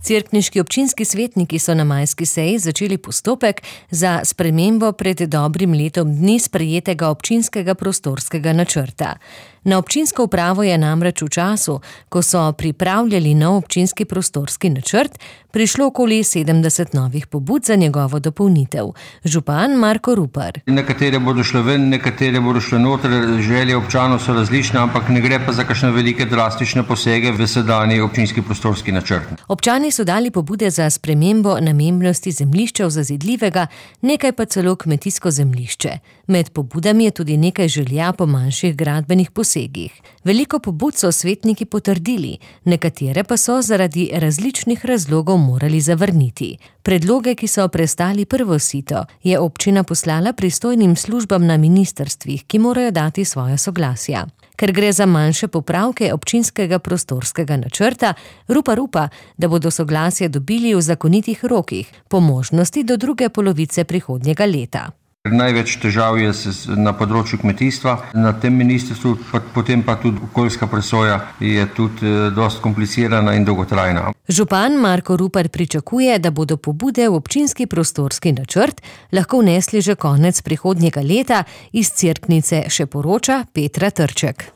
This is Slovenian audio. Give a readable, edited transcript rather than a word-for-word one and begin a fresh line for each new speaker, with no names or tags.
Cerkniški občinski svetniki so na majski seji začeli postopek za spremembo pred dobrim letom dni sprejetega občinskega prostorskega načrta. Na občinsko upravo je namreč v času, ko so pripravljali nov občinski prostorski načrt, prišlo okoli 70 novih pobud za njegovo dopolnitev. Župan Marko Rupar.
Nekatere bodo šle ven, nekatere bodo šle noter, želje občanov so različne, ampak ne gre pa za kakšne velike drastične posege v sedanji občinski prostorski načrt.
Občani so dali pobude za spremembo namembnosti zemljišča zazidljivega, nekaj pa celo kmetijsko zemljišče. Med pobudami je tudi nekaj želja po manjših gradbenih posegih. Veliko pobud so svetniki potrdili, nekatere pa so zaradi različnih razlogov morali zavrniti. Predloge, ki so prestali prvo sito, je občina poslala pristojnim službam na ministrstvih, ki morajo dati svoja soglasja. Ker gre za manjše popravke občinskega prostorskega načrta, Rupar upa, da bodo soglasje dobili v zakonitih rokih, po možnosti do druge polovice prihodnjega leta.
Največ težav je na področju kmetijstva, na tem ministrstvu, potem pa tudi okoljska presoja je tudi dosti komplicirana in dolgotrajna.
Župan Marko Rupar pričakuje, da bodo pobude v občinski prostorski načrt lahko vnesli že konec prihodnjega leta, iz Cerknice še poroča Petra Trček.